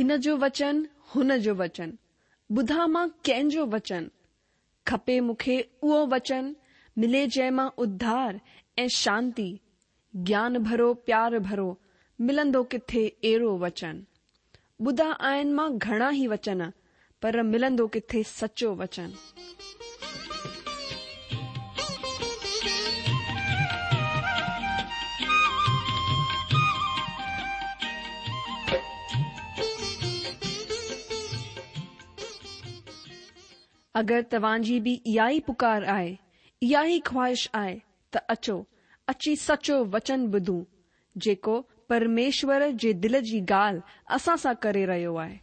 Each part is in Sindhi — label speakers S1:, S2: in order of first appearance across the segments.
S1: هن جو وچن، هن جو وچن، ٻڌان مان ڪنهن جو وچن؟ کپي مون کي اهو وچن، ملي جنهن مان اڌار ۽ شانتي، گيان ڀرو پيار ڀرو، ملندو ڪٿي اهڙو وچن؟ ٻڌا آهن مان گهڻا ئي وچن، پر ملندو ڪٿي سچو وچن؟ اگر توهان جي به اها ئي پڪار آهي، اها ئي خواهش آهي ته اچو، اچي سچو وچن ٻڌون، جيڪو پرميشور جي دل جي ڳالهه اسان سان ڪري رهيو آهي.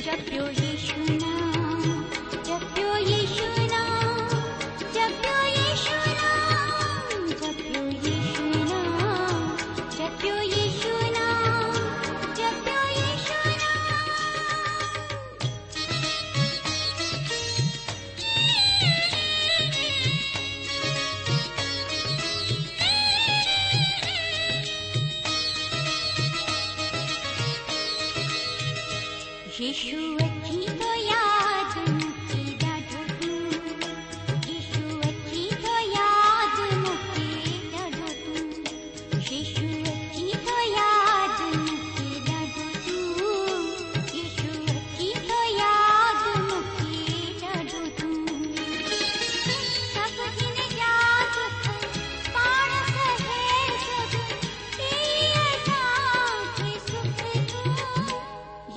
S2: جپيو يشو نام، جپيو يشو نام، جپيو يشو نام، جپيو يشو نام، جپيو يشو نام، جپيو يشو نام. يشو اچي ٿو ياد مون کي ڏاڍو تون يشو اچي ٿو ياد مون کي ڏاڍو تون يشو اچي ٿو ياد مون کي ڏاڍو تون يشو اچي ٿو ياد مون کي ڏاڍو تون سڀ هن جا دک پاڻ سهي سڀ ڏئي اسان کي سک تون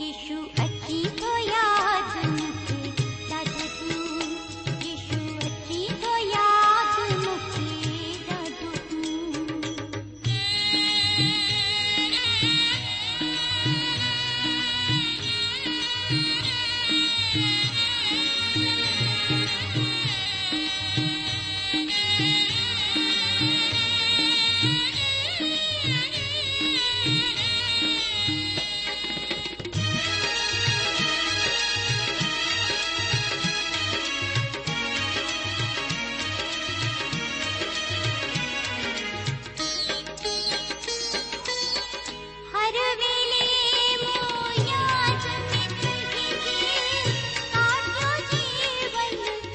S2: يشو اچي ٿو ياد مون کي ڏاڍو تون يشو اچي ٿو ياد مون کي ڏاڍو تون. هر ويلي مون ياد ۾ تنهنجي ڪاٽيو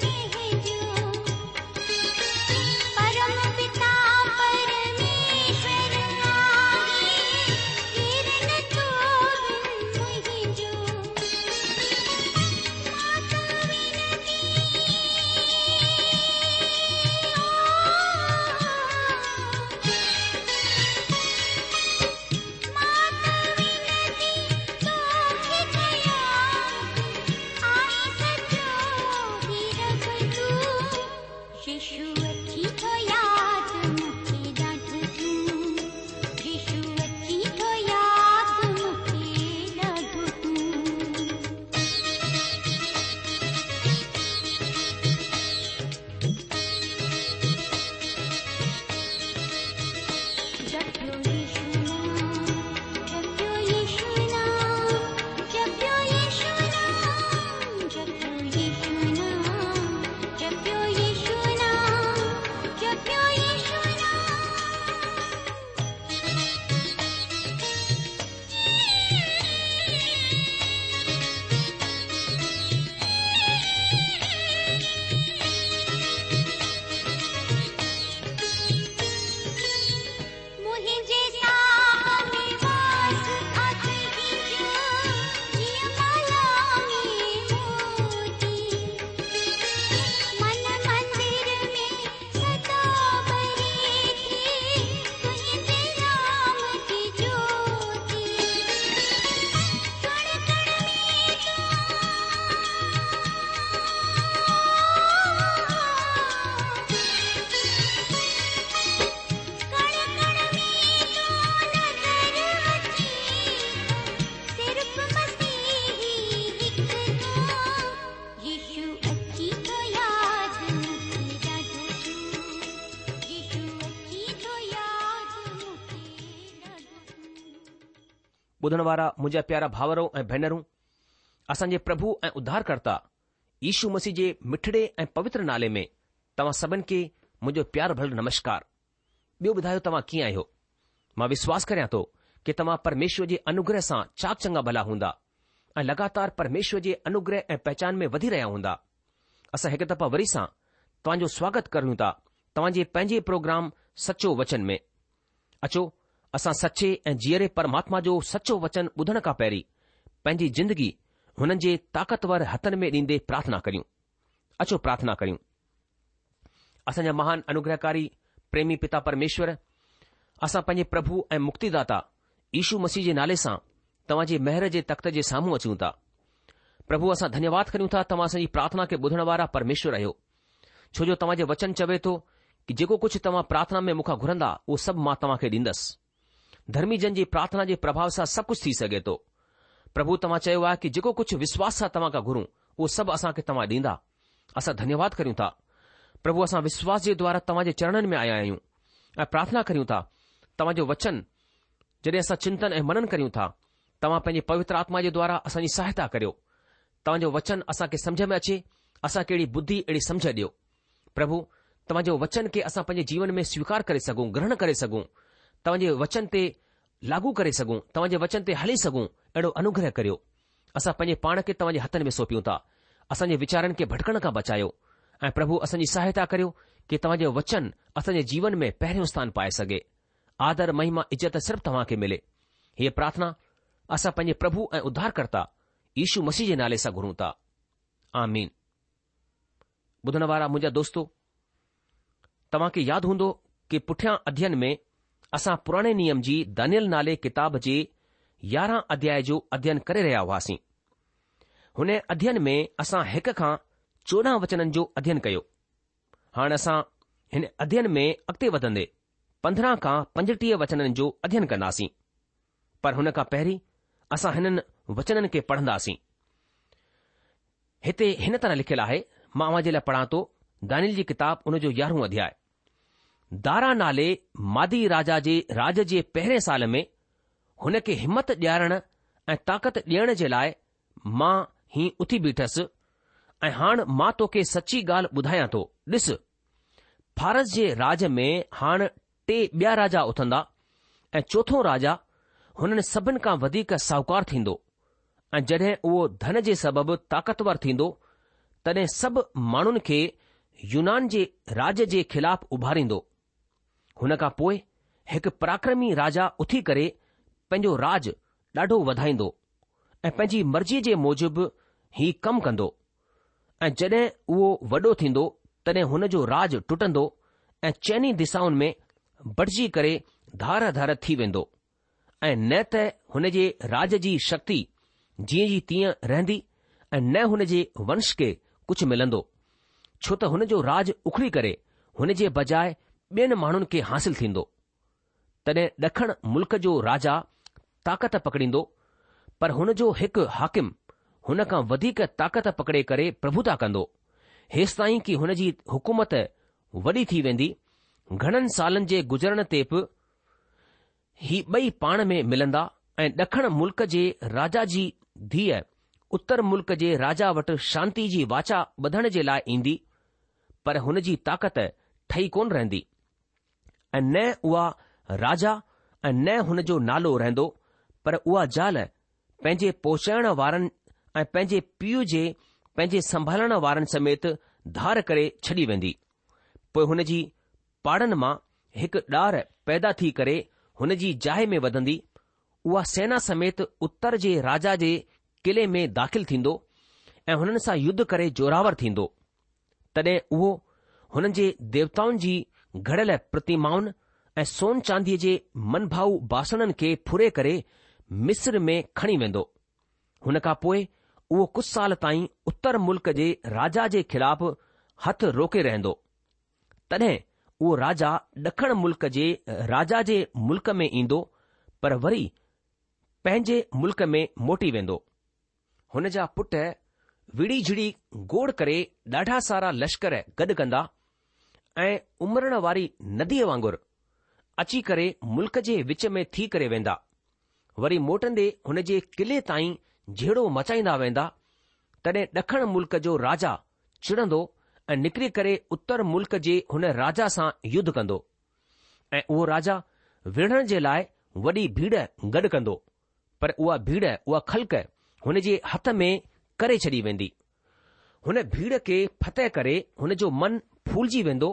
S2: جيون پنهنجو پرم پتا پرميشور آهي ڪير نه تو بن منهنجو مان ته وينتي مان ته وينتي توکي ڪيان ٿي آهين سچو هي رب تون يشو اچي ٿو ياد مون کي ڏاڍو تون يشو اچي ٿو ياد مون کي ڏاڍو تون. جپيو يشو نام جپيو يشو نام جپيو يشو نام جپيو يشو نام جپيو يشو نام جپيو يشو نام. منهنجي ساهه ۾ واس آ تنهنجو جيئن مالا ۾ موتي من مندر ۾ سدا ٻري ٿي تنهنجي نام جي جوتي ڪڻ ڪڻ ۾ تون ڪڻ ڪڻ ۾ تون نظر اچين ٿو صرف مسيح هڪ تون يشو اچي ٿو ياد مون کي ڏاڍو تون يشو اچي ٿو ياد مون کي ڏاڍو تون.
S3: ٻڌڻ وارا منهنجا پيارا ڀائرو ۽ ڀينرون، اسان جي پرڀو ۽ اڌارڪرتا يشو مسيح جي مٺڙي ۽ پوتر نالي ۾ توهان سڀن کي منهنجو پيار ڀريل نمشڪار. ٻيو ٻڌايو توهان ڪيئن آهيو؟ مان وشواس ڪريان ٿو ڪي توهان پرميشور جي انوگره سان چاڪ چڱا ڀلا هوندا ۽ لڳاتار پرميشور جي انوگره ۽ پهچان ۾ وڌي رهيا هوندا. اسان هڪ دفعا وري سان توهان جو سواگت ڪريون ٿا توهان جي پنهنجي پروگرام سچو وچن ۾. اچو اسان سچي ۽ جيئري پرماتما جو سچو وچن ٻڌڻ کان پهرين پنهنجي زندگي هنن جي طاقتور هٿن ۾ ڏيندي پرارٿنا ڪريون. اچو پرارٿنا ڪريون. اسان جا مهان انوگرهڪاري پريمي پتا پرميشور، اسان پنهنجي پرڀو ۽ مڪتيداتا يشو مسيح جي نالي سان توهان جي مهر جي تخت جي سامهون اچون ٿا. پرڀو اسان ڌنيواد ڪريون ٿا توهان اسان جي پرارٿنا کي ٻڌڻ وارا پرميشور آهيو. ڇو جو توهان جو وچن چوي ٿو ڪي جيڪو ڪجهه توهان پرارٿنا ۾ مون کان گهرندا اهو سڀ مان توهان کي ڏيندس. ڌرمي جن جي پرارٿنا جي پرڀاء سان سڀ ڪجهه ٿي سگهي ٿو. پرڀو توهان چيو آهي ڪي جيڪو ڪجهه وشواس سان توهان کان گهرون اهو سڀ اسان کي توهان ڏيندا. اسان ڌنيواد ڪريون ٿا. پرڀو اسان وشواس جي دوارا توهان جي چرڻن ۾ آيا آهيون ۽ پرارٿنا ڪريون ٿا توهان جو وچن جڏهن اسان چنتن ۽ منن ڪريون ٿا توهان پنهنجي پوتر آتما جي دوارا اسان جي سهائتا ڪريو. توهان جو وچن اسان کي سمجهه ۾ اچي اسان کي اهڙي ٻڌي اهڙي سمجهه ڏيو. پرڀو، توهان جي وچن کي اسان پنهنجي جيون ۾ سويڪار ڪري سگهون، گرهڻ ڪري سگهون، توهان جي وچن تي لاڳو ڪري سگهون، توهان جي وچن تي هلي سگهون، اهڙو انوگره ڪريو. اسان پنهنجي پاڻ کي توهان جي هٿن ۾ سونپيون ٿا. اسان جي ويچارن کي ڀٽڪڻ کان بچايو ۽ پرڀو اسان جي سهائتا ڪريو ڪي توهان جو وچن اسان جي جيون ۾ پهريون اسٿان پائي سگهي. آدر، مهما، عزت صرف توهان کي ملي. هيء پرارٿنا اسان پنهنجي پرڀو ۽ اڌارڪرتا يشو مسيح جي نالي سان گهرون ٿا. آمين. ٻڌڻ وارا منهنجا دوستو! توهان کي ياد هوندو ڪي پٺيان اڌين ۾ اسان پراڻي نيم جي دانيل نالي ڪتاب جي يارهن اڌياء جو اڌين ڪري رهيا هئاسين. هن اڌين ۾ اسان هڪ کان 14 وچنن جو اڌين ڪيو. هاڻ اسان هن اڌين ۾ اڳتي وڌندي 15 کان 35 وچنن جو اڌين ڪنداسين. پر هن کان پهرين اسان هنن وچنن کي پڙهنداسين. هتي هن طرح لکيل آهي، مان اوهان جي لاء پڙهان ٿو، دانيل جي ڪتاب ان جو يارهون اڌياء. دارا نالي مادي راجا جي راڄ جي پهرين سال ۾ هن کي همت ڏيارڻ ۽ طاقت ڏيڻ جي لاء مان هي اٿي بيٺس ۽ هاڻ مان توکي سچي ڳالهه ٻڌايان ٿو، ڏس، فارس جي راڄ ۾ هاڻ ٽي ٻيا راجا اٿندا ۽ چوٿون راجا هنن سڀن کان وڌيڪ ساهوڪار ٿيندو ۽ جڏهن اهو ڌن جي سبب طاقتور ٿيندو تڏهن سڀ ماڻهن کي يونان جي راڄ جي خلاف اڀاريندو. هن کان پوء هڪ پراڪرمي راجا اٿي ڪري پنهنجو راڄ ڏاڍو وڌائيندو ۽ پنهنجي مرضيء جي موجب هي ڪم ڪندو. ۽ جڏهن اهو وڏو ٿيندو تڏهن هن جو راڄ ٽٽندو ۽ چئني دشائن ۾ بٽجي ڪري ڌار ڌار ٿي ويندو ۽ نه ته هن جي راڄ جي شڪتي جيئن جي تيئن رهندي ۽ نه هن جي ونش کي ڪجهه ملندو، ڇو ته هن جو راڄ اکڙي ڪري هن جي بجاء ٻين ماڻهن کي حاصل ٿيندو. تڏهن ڏکڻ ملڪ جو راجا طاقت پڪڙيندو، پر هن جو هڪ حاڪم هن کان وڌيڪ طاقت پڪڙي ڪري پرڀوتا ڪندو، هيستائين ڪي هن جي حڪومت وڏي ٿي ويندي. گهڻن سالن جي گذرڻ تي به هي ٻئي پاڻ ۾ ملندا ۽ ڏکڻ ملڪ جي راجا جي ڌيء اتر ملڪ جي راجا وٽ شانتي جي واچا ٻڌڻ جي لاء ايندي، پر هن جي طاقت ٺهي ڪونه رهندي. ۽ نه اها راجا ۽ نه هن جو نالو رهندو، پر اها زال پنهنجي پهچائڻ وارن ۽ پنهنجي پيء جي پنهنجي سنڀالڻ وارن سميت ڌار ڪري ڇڏي ويندي. پوء هن جي پاڙن مان هڪ ڏار پيدا ٿي ڪري هن جي جاء ۾ وڌندي، اها سينا سميت اتر جي راجا جي قلعي ۾ داخل ٿيندو ۽ هنن سان يڌ ڪري زوراور ٿيندو. تڏهن اهو هنن جي ديوتائن جي گهڙيل پرتمائن ۽ سون چانديء جي منڀائو باسڻن کي ڦري ڪري مصر ۾ کڻي ويندو. هن کان پوء اهو ڪجهه سال تائين اتر ملڪ جي راجا جي خلاف هٿ روڪي رهندو. تڏهن اهو راجا ڏکڻ ملڪ جي راجا جي ملڪ ۾ ايندو پر وري پنهنجي ملڪ ۾ موٽي ويندو. هن جا پٽ وڙهي جهڙي گوڙ ڪري ڏاڍا سارا لشڪر گڏ ڪندا ۽ امرڻ واري نديء وانگر اچي ڪري ملڪ جي وچ ۾ ٿي ڪري ويندا. وري موٽندي هن جي قلعي تائين جهيڙو مچائيندا ويندا. تڏهن ڏکڻ ملڪ جو راجا چڙندو ۽ نڪري ڪري اتر ملڪ جي هن راجا سان يڌ ڪندو ۽ اهو راجا وڙهڻ جي لاء وڏي ڀيڙ گڏ ڪندو، پر اها ڀيڙ، اها خلق هن جي هٿ ۾ ڪري ڇڏي ويندي. هن ڀيڙ کي فتح ڪري هن جو من ڦولجي ويندو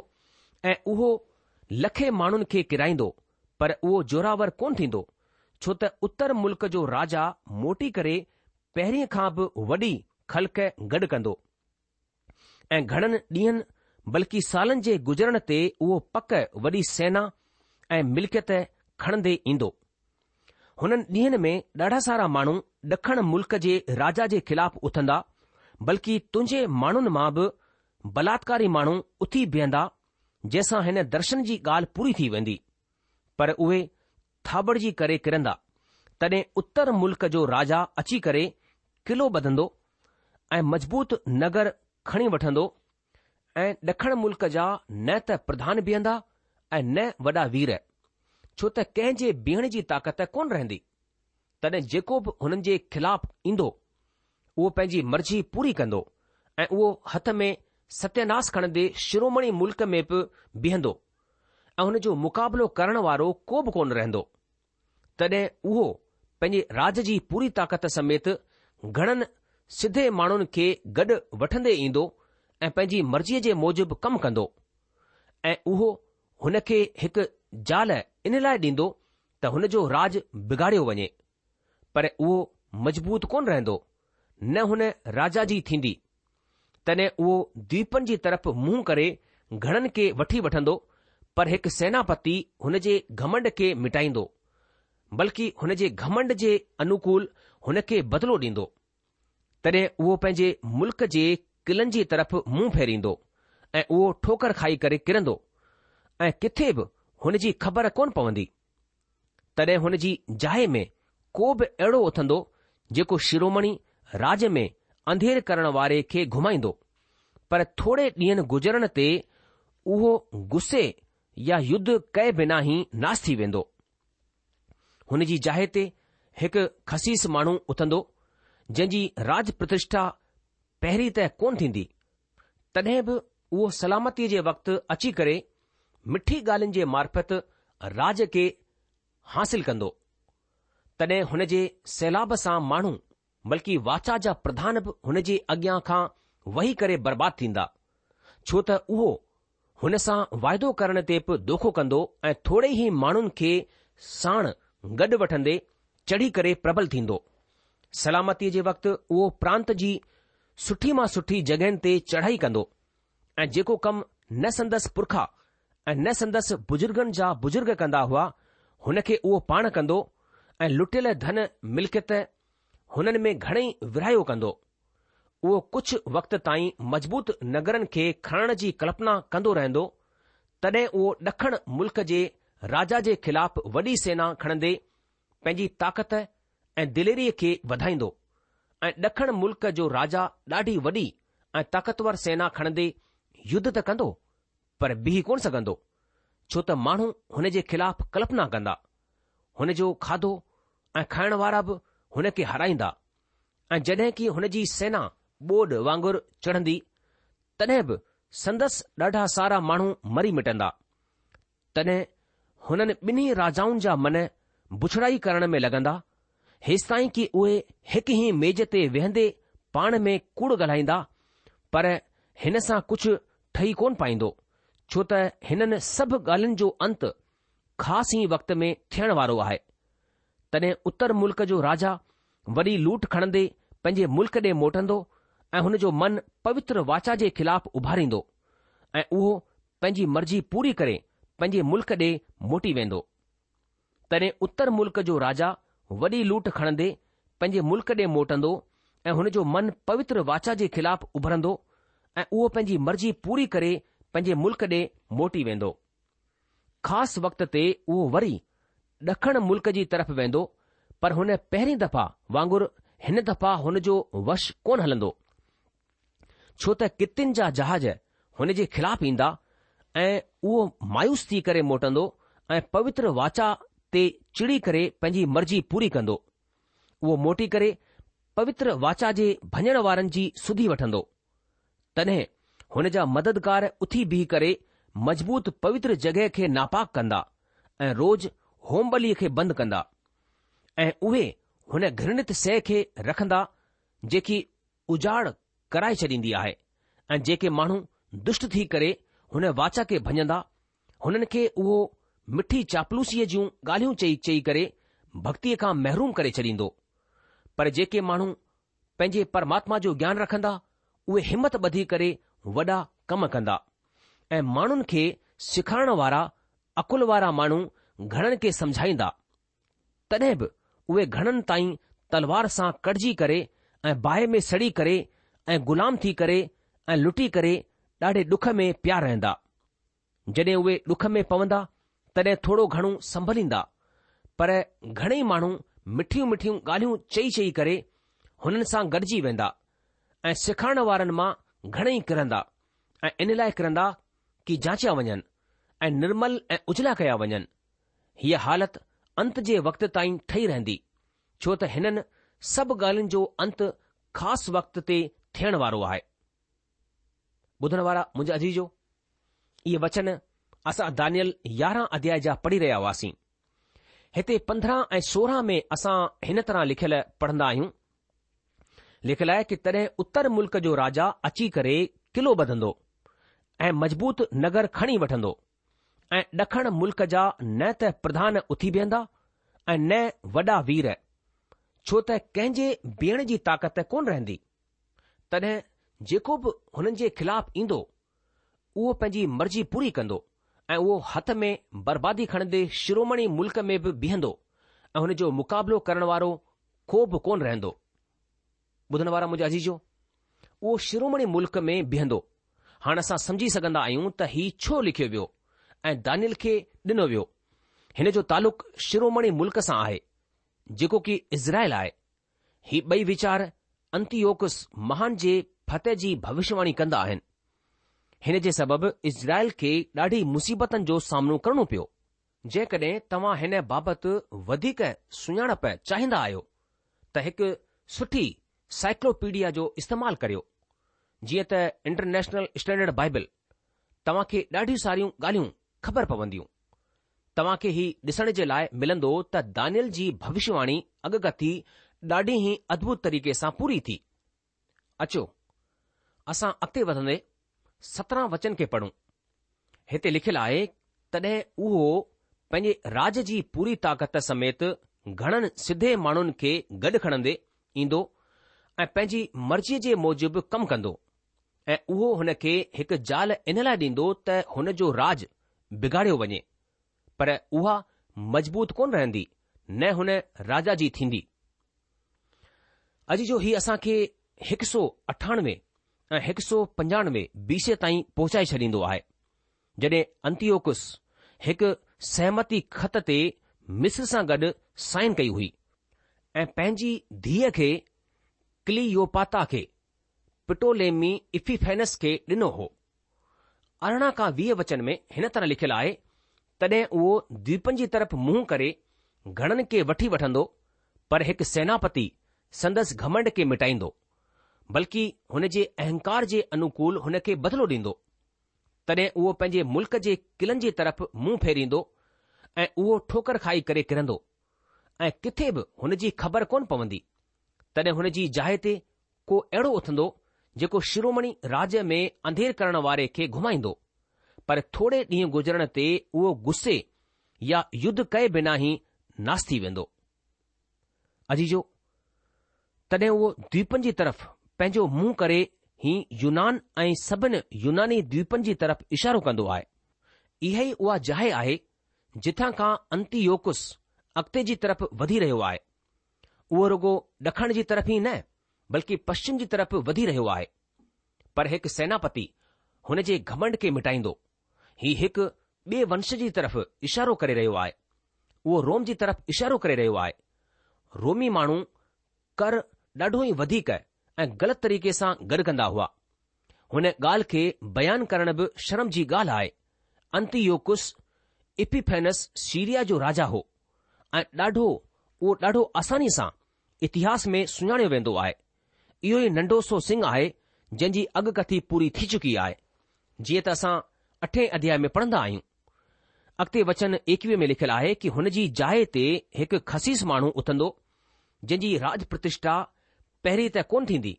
S3: ۽ اهو لکين ماڻهن کي ڪيرائيندو، پر اهو زوراور ڪونه ٿيندو، ڇو ته اتر ملڪ جو راجا موٽي ڪري پهرين کان به وڏي خلق گڏ ڪندو ۽ گهڻن ڏينهن بلڪ سالن جي گذرڻ تي اهو پڪ وڏي سينا ۽ ملڪيت کڻندي ايندو. هنن ڏينهن ۾ ڏاڍا سارا ماڻهو ڏکڻ ملڪ جي راجا جي خلاف اٿندا، بلڪ تنهنجي ماڻهن مان به بلاتڪاري ماڻهو اٿي بيهندا، جنهن سان هن درشن جي ڳالهه پوري ٿي ويندي. پر اهي ٿاٻڙجي ڪري ڪرندا. تڏهن اتر ملڪ جو راجا اچي ڪري قلعو ٻڌندو ۽ مضبوط نگر کڻي وٺندو ۽ ڏکڻ ملڪ جا نه ته پرڌان بيهندا ۽ نه وڏا وير، ڇو ته ڪنهن جي بيهڻ جي طاقت ڪونه رهندي. تڏهن جيڪو به هنن جي خلاف ايندو، اهو پنهنجي مرضي پوري ڪندو ۽ اهو هٿ ۾ ستياناس کڻندي شرومڻي ملڪ ۾ به بيهندو ۽ هن جو مقابلو ڪرڻ وارو ڪو به ڪونه رهندو. تڏهن اهو پنهنجي راڄ جي پوري طاقت سميت گهڻن سڌي ماڻهن کي گڏ وٺندي ايندو ۽ پنهنجي مرضيء جي موجب ڪم ڪندو ۽ اهو هن کي هڪ زال ان لاء ڏيندو ته هن جو راڄ بگاڙيو وڃي، پر اهو مضبوط ڪونه رهندو، نه هن راجا جي ٿيندي. تڏهن اهو دويپن جي طرف منهن ڪري گهڻن کي وٺي وٺندو، پر هڪ سيناپتي هن جي گهمنڊ کي مٽائيندو، بلڪ هن جي گهمنڊ جي انوڪول هن کي بدلو ڏيندو. تڏهن اهو پنهنجي ملڪ جي قلعن جي طرف منهن ڦيريندو ۽ اهو ٺوڪر کائي ڪري ڪرندو ۽ ڪٿي به هن جي خبر ڪونه پوندي. تڏهن هن جي جاء ۾ ڪو به اهڙو اٿندو جيڪو شرومڻي راڄ ۾ انڌير ڪرڻ واري کي گهمائيندو، پر ٿوري ڏينهن گذرڻ تي اهو غصي يا يڌ ڪئي بنا ئي ناس ٿي ويندو. هن جي جاء تي هڪ خسيس ماڻهو اٿندو، جنهن جي راڄ پرتشٺا پهرين ته ڪونه ٿيندي، تڏهن به اهو سلامتيء جي وقت اچي ڪري مٺي ڳالهين جي معرفت راڄ کي حاصل ڪندو. تڏهن هن جي سيلاب سان ماڻهو بلڪ واچا جا پرڌان به هن جي اڳيان کان وهي ڪري برباد ٿيندا، ڇو ته اهو هن سان واعدو ڪرڻ تي به دوکو ڪندو ۽ ٿوري ئي ماڻهن کي ساڻ گڏ وٺندي چڙهي ڪري پربل ٿيندو. سلامتيء جي وقت اهو پرانت جي سٺي مان سٺي جڳهين تي چڙهائي ڪندو ۽ جيڪو ڪم نه سندس پرکا ۽ نه سندس بزرگن جا بزرگ ڪندا هئا، هن کي اهو پاڻ ڪندو ۽ لٽيل ڌن ملڪيت هنن ۾ گهڻئي ورهايو ڪندو. اهو ڪجهه وقت تائين مضبوط نگرن کي کڻڻ جي ڪلپنا ڪندو رهندو، تڏهن اهو ڏکڻ ملڪ جي راجا جي خلاف وڏي سينا کڻندي پنهنجي طاقت ۽ دليريء کي وڌائيندو ۽ ڏکڻ ملڪ جو راجا ڏاڍي وڏي ۽ طاقتور سينا کڻندي يڌ ته ڪندو پر بيهي ڪونه سگهندو، ڇو ته ماڻهو هن جي خلاف ڪلپنا ڪندا. هن جو کاڌو ۽ کائڻ وارا به هن کي هارائيندا ۽ جڏهن ڪي هن جي سينا ٻوڏ وانگر چڙهندي، تڏهن به سندس ڏاڍا سارا ماڻهو مري مٽندا. تڏهن هنن ٻنهي راجائن جا من بڇڙائي ڪرڻ ۾ لڳندا، هيستائين ڪي اهي هڪ ئي ميز تي ويهندي پاڻ ۾ ڪوڙ ڳالهائيندا، پر هن سان ڪجهه ٺهي ڪونه پائيندو، ڇو ته هنن سڀ ڳالهين جو انت خاص ئي وقت ۾ ٿيڻ وارو آهي. تڏهن اتر ملڪ جو راجا وڏي لوٽ کڻندي پنهنجي ملڪ ڏي موٽندو ۽ هن جو من پوتر واچا جي خلاف اڀاريندو ۽ اهو پنهنجي مرضي پوري ڪري پنهنجي ملڪ ڏي موٽي ويندو. تڏهن اتر ملڪ جو راجا وڏي لوٽ کڻندي پنهنجي ملڪ ڏي موٽندو ۽ هن جو من پوتر واچا جي خلاف اڀرندو ۽ اهو پنهنجي مرضي پوري ڪري پنهنجي ملڪ ڏي موٽي ويندو. خاص وقت تي اهو وري ڏکڻ ملڪ جي طرف ويندو، پر هن پهرين دفعا وانگر هن دفعا هن جو وش ڪونه هلندو، ڇو ته ڪتين جا جهاز هن جي خلاف ايندا ۽ اهو مايوس ٿي ڪري موٽندو ۽ پوتر واچا تي چڙي ڪري پنهنجي مرضي پوري ڪندو. اهو موٽي ڪري پوتر واچا جي ڀڃڻ وارن جي سڌي وٺندو. تڏهن هن جا مددگار اٿي بيهي ڪري مضبوط پوتر جڳهه کي ناپاڪ ڪندا ۽ روز هوم ٻليء کي بند ڪندا ۽ اهي هن گهرڻت شيء کي رکندا جيڪي اجاڙ ڪرائي ڇڏيندي آهي ۽ جيڪي ماڻهو دشٽ ٿي ڪري هن واچا کي ڀڃندا، هنن کي اهو مٺي چاپلوسيء جون ڳالهيون چئي چئي ڪري ڀڳتيء کان محروم ڪري ڇڏيندو. پر جيڪي ماڻهو پنهنجي پرماتما جو گيان رکندا، اهي همت ٻڌي ڪري وڏا ڪم ڪندا ۽ ماڻهن کي سيکارڻ وارا عقل وارا ماڻهو گهڻن کي سمجهائيندا. تڏهن به اهي گهڻن تائين تلوار سان ڪٽجي ڪري ۽ باهه ۾ سڙي ڪري ۽ غلام ٿي ڪري ۽ لٽي ڪري ڏاڍي ڏک ۾ پيا رهندا. جڏهن اهي ڏک ۾ پوندا تڏهن ٿورو گهڻو سنڀليندا، پر گهڻئي ماڻهو مٺيون مٺيون ڳالهيون چئي چئي ڪري هنن سان گڏجي ويندا ۽ سيکارڻ وارن مان گهڻئي ڪرندا ۽ ان لاء ڪرندا ڪي جانچيا وڃن ۽ نرمل ۽ اجلا ڪيا وڃن. هيء حالت انت جي وقت تائين ٺهي رهندي، ڇو ته هنن سڀ ڳالهين جو انت خاص وقت تي ٿيڻ وارو آهي. ٻڌڻ وارا منهنجا عزيزو، اهي وچن اسان دانيل يارهن اڌيائي جا پڙهي رهيا هئاسين. هتي 15 ۽ 16 ۾ اسان هن طرح لکيل پڙهندا آهيون، لکيل آهي ڪي تڏهن اتر ملڪ جو راجا اچي ڪري قلعو ٻڌندو ۽ مضبوط نگر کڻي وٺندو ۽ ڏکڻ ملڪ جا نه ته پرڌان اٿي بيهندا ۽ نه وڏا وير، ڇو ته ڪنهن جي بيهڻ جي طاقت ڪونه رهندي. تڏهن جيڪو به هنن جي خلاف ايندو، اهو پنهنجي مرضي پوري ڪندو ۽ اهو هٿ ۾ بربادي کڻندي شرومڻي ملڪ ۾ به بيهندو ۽ هن جو مقابلو ڪرڻ وارو ڪو به ڪونه رهندو. ٻڌڻ وارا منهنجا عزيزو! اهو شرومڻي ملڪ ۾ بيهندو. هاڻ اسان سمجهي سگهندا آهيون ته هي ڇو لکيو ويو ۽ دانيل کي ڏنو ويو. هن جو تعلق شرومڻي ملڪ سان آهي، جيڪو ڪي اسرائيل آهي. هي ٻئي ويچار انتيوڪس مهان جي فتح جي ڀوشواڻي ڪندا آهن. هن جي سبب اسرائيل کي ڏاڍي مصيبتن جو سامنو ڪرڻو پيو. جيڪڏهن توهان هن بابت وڌيڪ سڃاڻپ چاهيندا آهيو ته هڪ سٺي سائيڪلوپيڊيا جو استعمال ڪريو، جيئن ته انٽرنيشنل اسٽينڊرڊ بائبل، توهان کي ڏاڍيون ساريون ڳالهيون خبر پونديون. توهان کي هي ڏسڻ جي لاء ملندو ته دانيل جي ڀوشواڻي اڳڪٿي ڏاڍي ئي ادڀت طريقي سان پوري ٿي. اچو، اسان اڳتي وڌندي 17 وچن کي پڙهون. هتي لکيل آهي، تڏهن اهو پنهنجي راڄ جي پوري طاقت سميت گهڻن سڌي ماڻهن کي گڏ کڻندي ايندو ۽ پنهنجي مرضيء جي موجب ڪم ڪندو ۽ اهو هن کي هڪ زال ان لاء ڏيندو ته هن جو راڄ بگاڙيو وڃي، پر اها مضبوط ڪونه رهندي، نه هن راجا جي ٿيندي. عزيزو هي اسان کي هڪ سو اٺانوي ۽ هڪ سو پنجانوي بي سي تائين پهچائي ڇڏيندو آهي، جڏهن انتيوڪس هڪ سهمتي خط تي مصر سان گڏ سائن ڪئي هئي ۽ پنهنجي ڌيء کي ڪليوپاتا کي پٽوليمي ايپيفينس کي ڏنو هو. 18 کان 20 وچن ۾ هن طرح لکيل آهي، تڏهن اهو دويپن جي طرف منهن ڪري گهڻن کي وٺي وٺندو، پر هڪ سيناپتي سندس گهمنڊ کي مٽائيندو، بلڪ هن جي اهنڪار جي انوڪول هن کي بدلو ڏيندو. تڏهن اهو پنهنجي ملڪ جي قلعن جي طرف منهن ڦيريندو ۽ اهو ٺوڪر کائي ڪري ڪرندو ۽ ڪٿي به هن جي خبر ڪونه پوندي. تڏهن هن جي جاء تي ڪو اهڙو اٿندو جيڪو شرومڻي راڄ ۾ انڌير ڪرڻ واري کي گهمائيندو، پر ٿوري ڏينهن گذرڻ تي اهو غصي يا يڌ ڪئي بنا ئي ناس ٿي ويندو. عزيزو! تڏهن اهو دويپن جي طرف پنهنجو منهن ڪري هي يونان ۽ سڀن يوناني دويپن جي طرف اشارو ڪندو آهي. اها ئي اها جاء آهي جتان کان انتيوڪس اڳتي جي طرف وڌي رهيو آهي. اهو رڳو ڏکڻ جي طرف ئي نه بلڪه پشچم جي طرف وڌي رهيو آهي. پر هڪ سيناپتي هن جي گهمنڊ کي مٽائيندو. هي هڪ ٻئي ونش جي طرف اشارو ڪري رهيو آهي. اهو روم جي طرف اشارو ڪري رهيو آهي. رومي ماڻهو ڪر ڏاڍو ئي وڌيڪ ۽ غلط طريقي سان گڏ ڪندا هئا. هن ڳالهه کي بيان ڪرڻ به شرم جي ڳالهه آهي. انتيوڪس ايپيفينس سيريا جو راجا هو ۽ ڏاڍو اهو ڏاڍو آساني سان اتهاس ۾ سڃاڻيو ويندو آهي. اهو ئي ننڍو سو سنگهه آهي جنهن جي اڳڪٿي پوري ٿي چڪي آهي، جيئن ته اسان اٺين اڌياء ۾ پڙهندا آهيون. اڳتي وچن ايڪويهه ۾ لکيل آهي ڪي هن جي جاء تي هڪ خسيس ماڻهو اٿندو، جنهن جي راڄ پرتشٺا پهرين ته ڪونه ٿيندي،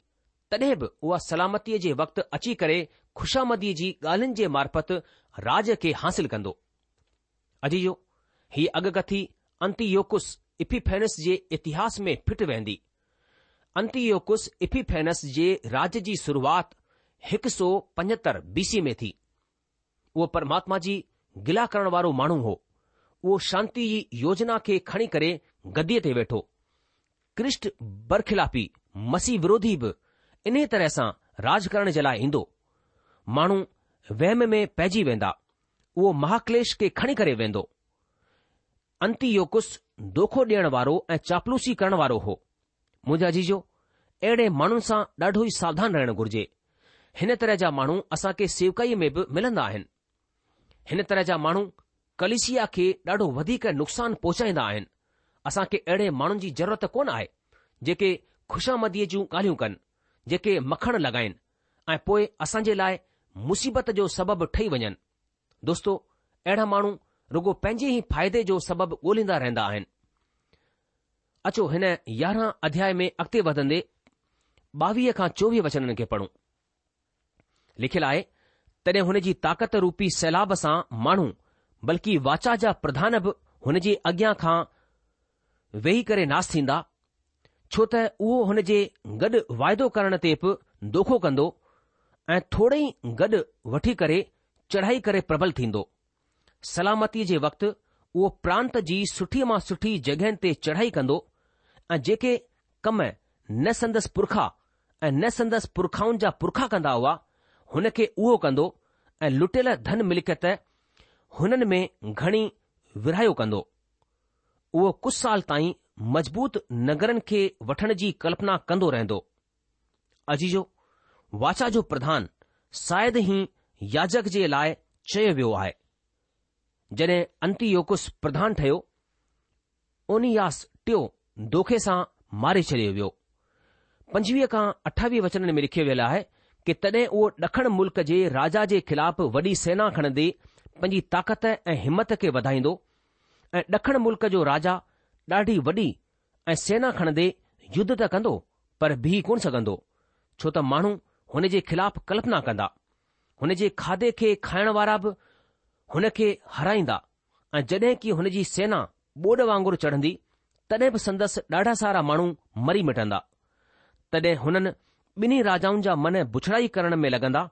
S3: تڏهن به اها سلامتيء جي وقت اچي ڪري خوشامديء جي ڳالهين جي معرفت راڄ کي حاصل ڪندو. عزيزو! هيء اڳڪٿي انتيوڪس اپيفينس جي اتهاس ۾ فٽ ويهندي. انتيوڪس اپيفينس جي راڄ جي شروعات 175 بي سي ۾ ٿي. اهو پرماتما جي گلا ڪرڻ وارو ماڻهو هو. اهو شانتي جي يوجنا کي کڻي ڪري گديء تي ويٺو. ڪرسٽ برخلافي، مسيح وروڌي به انهيء طرح سان راڄ ڪرڻ جي لاء ايندو. ماڻهو وهم ۾ پئجي ويندا. اهو مهاڪليش کي کڻي ڪري ويندو. انتيوڪس دوکو ڏيڻ وارو ۽ چاپلوسي ڪرڻ وارو هو. منهنجا عزيزو، اهڙي ماڻهن سان ڏاڍو ئي ساوڌان رهڻ گهرجي. هن طرح جا ماڻهو اسان کي سيوڪائيء ۾ به ملندا آهن. هن طرح جا ماڻهو ڪليسيا کي ڏاڍو وڌيڪ نقصان پهچائيندا آهن. اسان کي اهڙي ماڻهن جي ضرورت ڪونه آهي، جيڪي خوشامديء جون ڳالهيون ڪن، جيڪي مکڻ لڳائين ۽ پوء اسان جي لاء مصيبت جو سبب ٺهي وڃن. دوستو، اهڙا ماڻهو رڳو پنهنجي ئي فائدي جو سبب ڳولهيندا رهندا آهن. اچو هن يارهن اڌياء ۾ اڳتي وڌندي ٻاويهه کان چوويهه وچنن کي پڙهون. لکيل آهي، تڏهن هن جي طاقت روپي سيلاب سان ماڻهو بلڪه واچا جا پرڌان به هن جي اڳيان کان ويهي ڪري ناس ٿيندا، ڇو ته اهو هن جي گڏ واعدو ڪرڻ تي به دوکو ڪندو ۽ ٿوري ئي گڏ وٺي ڪري چڙهائي ڪري پربل ٿيندو. سلامتيء جي وقت اهو پرانت جي سٺي مان سٺي جڳهين تي چڙهائي ڪندو ۽ جيڪي ڪم نه سندس پرکا ۽ نه سندس پرکائن جا پرکا ڪندا هئا، هن کي اهو ڪندو ۽ لٽيل ڌن ملڪيت هنن ۾ گهڻي ورهايو ڪندو. اهو ڪجهه سال تائين مضبوط نگرن کي وٺڻ جي ڪلپنا ڪندو رهندو. عزيزو! واچا جو پرڌان شايد هي ياجڪ جي لاء چيو ويو آهي. جڏهن انتيوڪس پرڌان ٺهيو، اونياس ٽيون دوکي سان ماري ڇڏيو ويو. 25 کان 28 وچنن ۾ لکيو ويل آهي ڪي تڏهن اهو ڏکڻ ملڪ جي راجا جي خلاف وڏي سينا کڻندي پنهنجي طاقت ۽ همت کي وڌائيندو ۽ ڏکڻ ملڪ جو راجا ڏاڍي وڏي ۽ سينا کڻندي يڌ ته ڪندو پر بيهي ڪونه سگهندو، ڇو ته ماڻهو هن جي خلاف ڪلپنا ڪندا. هن جي کاڌي کي کائڻ وارا به هن کي هارائيندا ۽ جڏهن ڪي هن جي سينا ٻوڏ وانگر چڙهندي، تڏهن به سندس ڏاڍا سارا ماڻهو مري مٽندا. تڏهن هنن ٻنهي راجائن جا من بڇڙائي ڪرڻ ۾ لڳندا،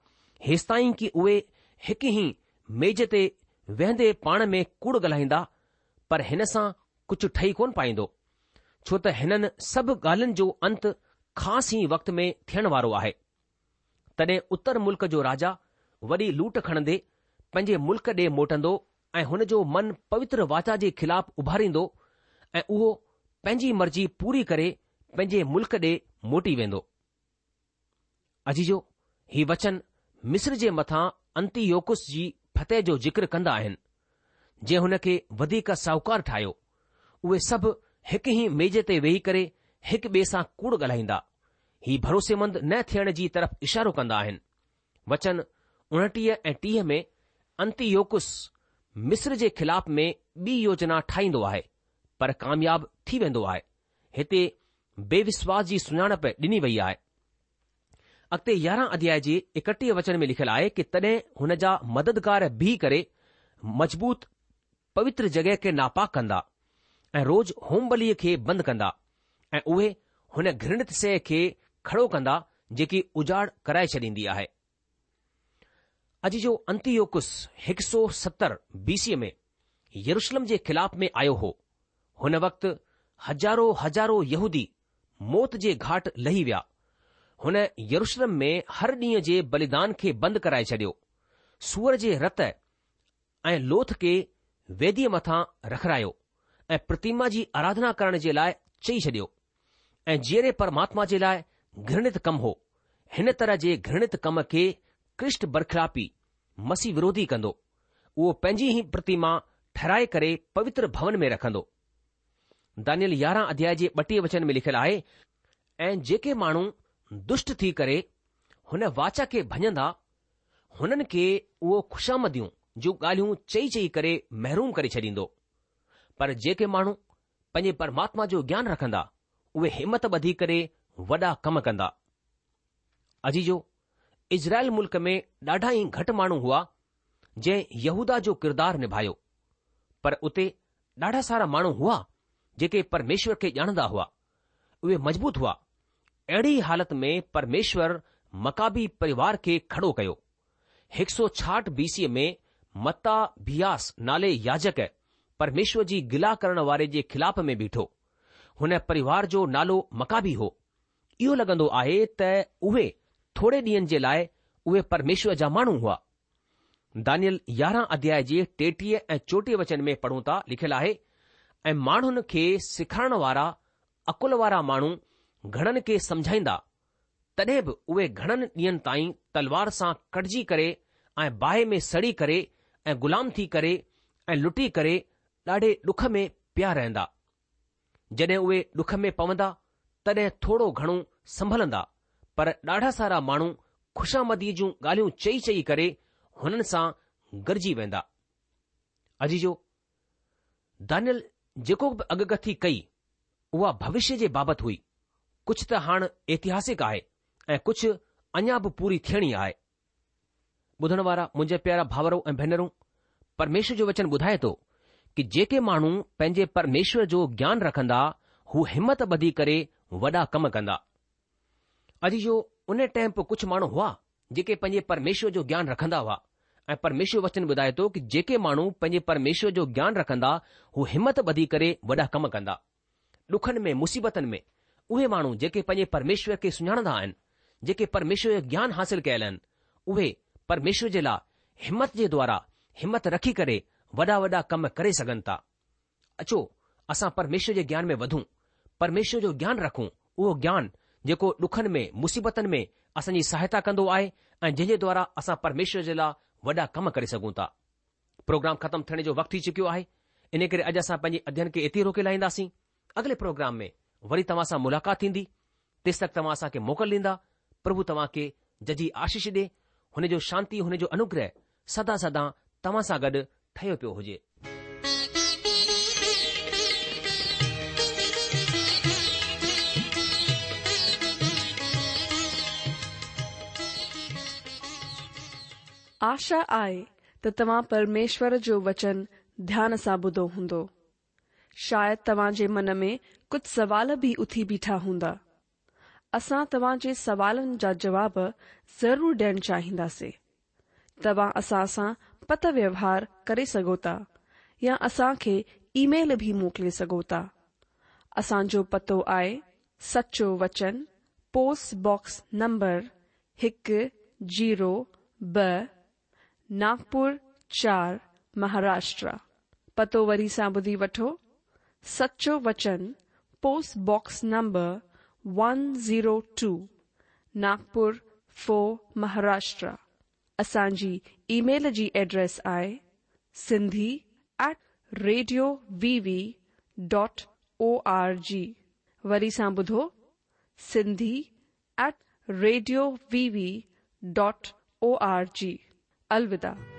S3: هيستائين ڪي اهي هڪ ئي ميز تي ويهندي پاڻ ۾ ڪوڙ ڳالهائيندا، پر هن سان ڪجهه ٺهي ڪونه پائيندو، ڇو ته هنن سڀ ڳالهين جو انت خاص ئي وقت ۾ ٿيڻ وارو آهي. تڏهن اتر ملڪ جو راجا وڏي لوٽ کڻندي پنهنجي ملڪ ڏي موٽندو ۽ هن جو من پوتر واچا جي خلاف اڀاريندو ۽ اهو پنهنجي مرضي پوري ڪري پنهنجي ملڪ ڏي موٽي ويندو. عزيزو! هي وچن مصر جي مٿان انتيوڪس جي فتح جو ذڪر ڪندا آهن، جنهن هن کي وڌيڪ ساهوڪار ٺاهيو. اهي سڀ هڪ ئي ميز تي ويهي ڪري هڪ ٻئي سان ڪوڙ ڳالهائيندا. هي ڀروسيمند نه ٿيڻ جي طرف اشارو ڪندا آهن. وچن 29 ۽ 30 ۾ انتيوڪس مصر جي خلاف ۾ ٻي يوجنا ٺاهيندو آهي، پر ڪامياب ٿي ويندو آهي. هتي بي وشواس جي سڃاڻپ ڏني وئي آهي. اڳتي يارهن اڌيائي جي ايڪٽيهه وچن ۾ لکيل آهي ڪي تڏهن هن جا مددگار بيهي ڪري مضبوط پوتر جڳهه کي ناپاڪ ڪندا ۽ روز هوم بليء کي بند ڪندا ۽ اهي هن گهرڻت شيء کي کڙو ڪندا جيڪي اجاڙ ڪرائي ڇڏيندي آهي. عزيزو انتيوڪس 170 بي سي ۾ يروشلم جي خلاف ۾ آيو هو. هن وقت هزارو هزارو يهودي موت جي گهاٽ لهي ويا. هن يروشلم ۾ هر ڏينهن جي بليدان کي بند ڪرائي ڇڏيو. سوئر جي رت ۽ لوٿ کي ويديء مٿان رکرايو ۽ پرتيما جي آراڌنا ڪرڻ جي لاء چئي ڇڏيو ۽ جيئري پرماتما جي لاء گهرڻت ڪم هو. هن طرح جي گهرڻت ڪم کي ڪرسٽ برخلافي، مسيح وروڌي ڪندو. اهو پنهنجي ئي پرتيما ٺهرائي ڪري پوتر ڀون ۾ رکندو. دانيئيل يارهن اڌيائي جي ٻٽيهه وچن ۾ لکيل آهي، ۽ جيڪي ماڻهو دشٽ ٿي ڪري هن واچا کي ڀڃندا، هنن کي اهو خوشامديون جون ڳالهيون چئي چئي ڪري محروم ڪري ڇڏيندو. پر جيڪي ماڻهو پنهنجي پرماتما جو گيان رکندا، اهي همت ٻڌي ڪري وڏا ڪم ڪندا. عزيزو! اسرائيل ملڪ ۾ ڏاڍا ئي گهٽ ماڻهو هئا جنهن يهوداه جو ڪردار نڀايو، پر اتي ڏاڍا سارا ماڻهو هئا جيڪي پرميشور کي ڄاڻندا هئا. اهي مضبوط هئا. اهڙي ئي حالت ۾ پرميشور مڪابي پريوار کي کڙو ڪيو. هڪ سو ڇاهٺ بي سيء ۾ متاڀياس نالي ياجڪ پرميشور جي گلا ڪرڻ واري جي خلاف ۾ بيٺو. هن پريوار جو نالو مڪابي هو. اهو لڳندو آهي ته اهي ٿوري ڏينهن جي لاء اهي پرميشور جا ماڻهو هئا. دانيئل يارهن اڌياء جي ٽيٽيهه ۽ چوٽيهه وچن ۾ پڙهون ٿا لکيل آهي، ۽ ماڻهن کي سيکارڻ وارا عقل وارا ماڻهو گهڻن کي سمجهائيندا، تڏهن به اهي گهڻن ڏينهن تائين تلوار سان ڪٽجي ڪري ۽ باهه ۾ سڙي ڪري ۽ غلام ٿي ڪري ۽ لٽي ڪري ڏاڍي ڏک ۾ پيا رهندا. جڏهن اهي ڏک ۾ پوندا، تڏهن ٿورو گهڻو سنڀلندا، پر ڏاڍا سارا ماڻهو خوشامديء جون ڳالهيون چئي چئي ڪري هنن سان گڏجي ويندا. عزيزو! دانيل جيڪو به اڳڪٿي ڪئي، اها ڀوشيه جي بابت هئي. ڪجهه ته هاڻ اتهاسڪ آهي ۽ ڪجهه اڃا به پوري ٿيڻي آهي. ٻڌڻ وارا منهنجا پيارا ڀائرو ۽ ڀينرون، پرميشور جو وچن ٻڌائي ٿو ڪي جيڪي ماڻهو پنهنجي پرميشور جو گيان رکندا هو همت ٻڌي ڪري وڏا ڪم ڪندا. عزيزو ان ٽائيم به ڪجهه ماڻهو هئا جيڪي پنهنجي پرميشور جو گيان رکندا هئا ۽ پرميشور وچن ٻڌائي ٿو ڪي جيڪي ماڻهو پنهنجي پرميشور جو گيان رکندا هو همت ٻڌي ڪري وڏا ڪم ڪندا. ڏکن ۾، مصيبتن ۾، اهي ماڻهو جيڪي پنهنجي پرميشور کي سڃاڻندا آهن، جيڪي پرميشور جو گيان حاصل ڪيل آهن، اهي پرميشور جي لاء همت جي دوارا همت رکي ڪري وڏا وڏا ڪم ڪري سگهن ٿا. اچو اسان پرميشور جي گيان ۾ وڌون، پرميشور جو گيان رکون، اهو گيان جيڪو ڏکن ۾، مصيبتن ۾ اسان جي سهائتا ڪندو آهي ۽ جنهن جي دوارا اسان پرميشور جي لاء وڏا ڪم ڪري سگهون ٿا. پروگرام ختم ٿيڻ جو وقت ٿي چڪيو آهي ان ڪري اڄ اسان پنهنجي اڌين کي اتي روڪي لاهينداسين. اڳلي پروگرام ۾ وري توهان سان ملاقات ٿيندي. تيستڪ توهان اسان کي موڪل ڏيندا. پرڀو توهان کي ججهي آشيش ڏي. هن جو شانتي هن جو انوگره سدا سدا توهان سان گڏ ٺهيو پيو هجي.
S1: آشا آهي ته توهان پرميشور جو وچن ڌيان سان ٻڌو هوندو. شايد توهان جي من ۾ ڪجهه سوال به اٿي بيٺا هوندا. اسان توهان جي سوالن جا جواب ضرور ڏيڻ چاهينداسين. توهان اسان سان پتر ويوهار ڪري سگهو ٿا يا اسان کي اي ميل به موڪلي سگهو ٿا. اسان جو پتو آهي سچو وچن پوسٽ باڪس نمبر هڪ زيرو ٻه ناگپور چار مهاراشٽرا. پتو وري سان ٻڌي وٺو سچو وچن post box number one zero two Nagpur four Maharashtra. اسان جي اي ميل جي ايڊريس آهي Sindhi at radio V V dot O R G وري سان ٻڌو Sindhi at radio V V dot O R G. الوداع.